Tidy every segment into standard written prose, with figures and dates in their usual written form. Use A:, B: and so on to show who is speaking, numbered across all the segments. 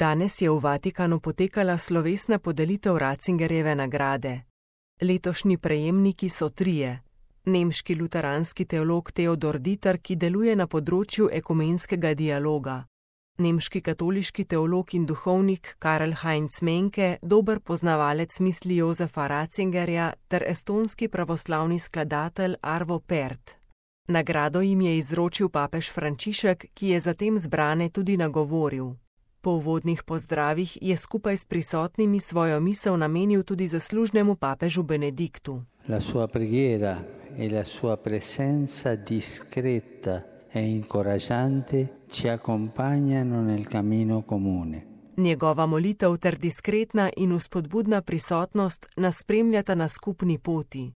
A: Danes je v Vatikanu potekala slovesna podelitev Ratzingerjeve nagrade. Letošnji prejemniki so trije. Nemški luteranski teolog Theodor Dieter, ki deluje na področju ekumenskega dialoga. Nemški katoliški teolog in duhovnik Karl Heinz Menke, dober poznavalec misli Josefa Ratzingerja ter estonski pravoslavni skladatelj Arvo Pärt. Nagrado jim je izročil papež Frančišek, ki je zatem zbrane tudi nagovoril. Po uvodnih pozdravih je skupaj s prisotnimi svojo misel namenil tudi zaslužnemu papežu Benediktu.
B: La sua preghiera e la sua presenza discreta e incoraggiante ci accompagnano nel cammino comune.
A: Njegova molitev ter diskretna in vzpodbudna prisotnost nas spremljata na skupni poti.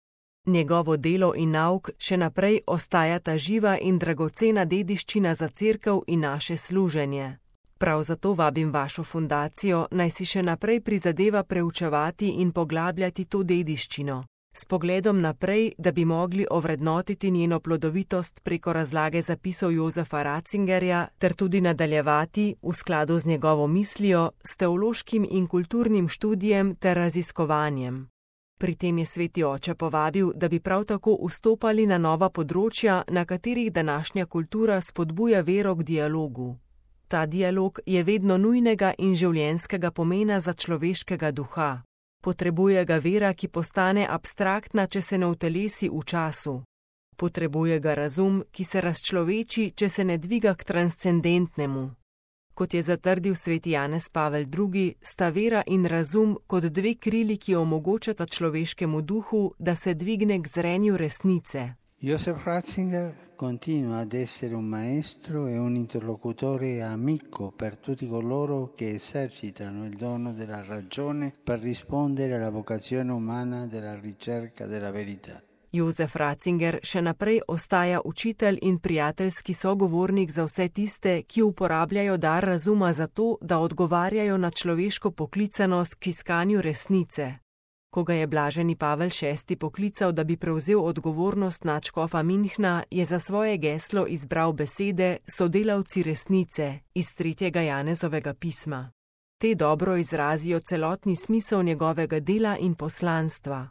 A: Njegovo delo in nauk še naprej ostajata živa in dragocena dediščina za cerkev in naše služenje. Prav zato vabim vašo fundacijo, naj si še naprej prizadeva preučevati in poglabljati to dediščino, s pogledom naprej, da bi mogli ovrednotiti njeno plodovitost preko razlage zapisov Josefa Ratzingerja ter tudi nadaljevati, v skladu z njegovo mislijo, s teološkim in kulturnim študijem ter raziskovanjem. Pri tem je sveti oče povabil, da bi prav tako vstopali na nova področja, na katerih današnja kultura spodbuja vero k dialogu. Ta dialog je vedno nujnega in življenjskega pomena za človeškega duha. Potrebuje ga vera, ki postane abstraktna, če se ne utelesi v času. Potrebuje ga razum, ki se razčloveči, če se ne dviga k transcendentnemu. Kot je zatrdil sveti Janez Pavel II, sta vera in razum kot dve krili, ki omogočata človeškemu duhu, da se dvigne k zrenju resnice.
B: Josef Ratzinger continua ad essere un maestro e un interlocutore amico per tutti coloro che esercitano il dono della ragione per rispondere alla vocazione umana della ricerca della verità.
A: Josef Ratzinger še naprej ostaja učitelj in prijateljski sogovornik za vse tiste, ki uporabljajo dar razuma za to, da odgovarjajo na človeško poklicanost k iskanju resnice. Ko ga je blaženi Pavel VI poklical, da bi prevzel odgovornost nadškofa Münchna, je za svoje geslo izbral besede sodelavci resnice iz 3. Janezovega pisma. Te dobro izrazijo celotni smisel njegovega dela in poslanstva.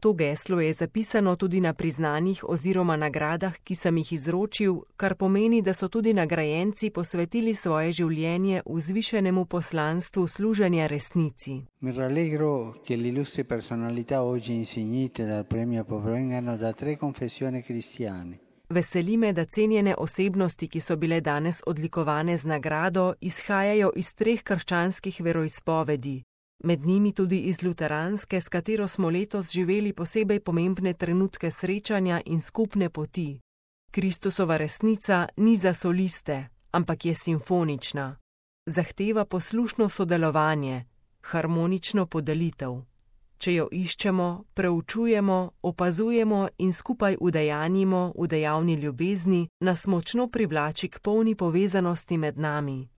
A: To geslo je zapisano tudi na priznanjih oziroma nagradah, ki sem jih izročil, kar pomeni, da so tudi nagrajenci posvetili svoje življenje vzvišenemu poslanstvu služenja resnici.
B: Mi rallegro che le illustri personalità oggi insignite dal premio provengano da 3 confessioni cristiane.
A: Veseli me, da cenjene osebnosti, ki so bile danes odlikovane z nagrado, izhajajo iz 3 krščanskih veroizpovedi. Med njimi tudi iz luteranske, s katero smo letos živeli posebej pomembne trenutke srečanja in skupne poti. Kristusova resnica ni za soliste, ampak je simfonična. Zahteva poslušno sodelovanje, harmonično podelitev. Če jo iščemo, preučujemo, opazujemo in skupaj udejanjimo v dejavni ljubezni, nas močno privlači k polni povezanosti med nami.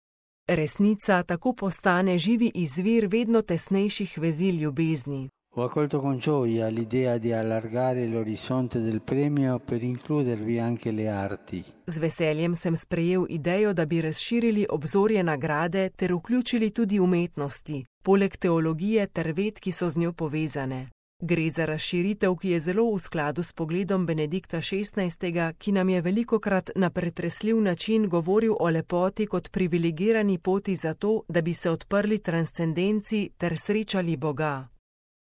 A: Resnica tako postane živi izvir vedno tesnejših vezi ljubezni.
B: Ho accolto con gioia l'idea di allargare l'orizzonte del premio per includervi anche le arti.
A: Z veseljem sem sprejel idejo, da bi razširili obzorje nagrade ter vključili tudi umetnosti, poleg teologije ter ved, ki so z njo povezane. Gre za razširitev, ki je zelo v skladu s pogledom Benedikta XVI, ki nam je velikokrat na pretresljiv način govoril o lepoti kot privilegirani poti za to, da bi se odprli transcendenci ter srečali Boga.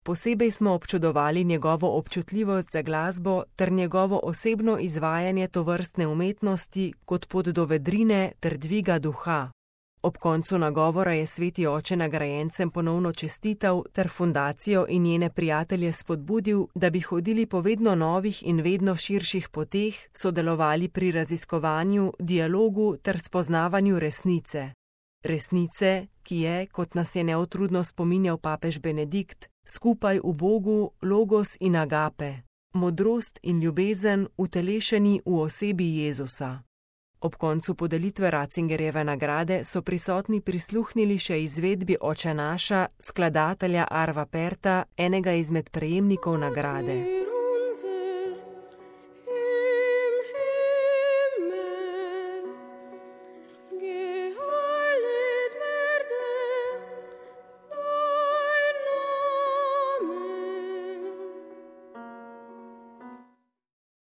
A: Posebej smo občudovali njegovo občutljivost za glasbo ter njegovo osebno izvajanje tovrstne umetnosti kot pot do vedrine ter dviga duha. Ob koncu nagovora je sveti oče nagrajencem ponovno čestital ter fundacijo in njene prijatelje spodbudil, da bi hodili po vedno novih in vedno širših poteh, sodelovali pri raziskovanju, dialogu ter spoznavanju resnice. Resnice, ki je, kot nas je neutrudno spominjal papež Benedikt, skupaj v Bogu, logos in agape, modrost in ljubezen utelešeni v osebi Jezusa. Ob koncu podelitve Ratzingerjeve nagrade so prisotni prisluhnili še izvedbi Oče naša, skladatelja Arva Pärta, enega izmed prejemnikov nagrade.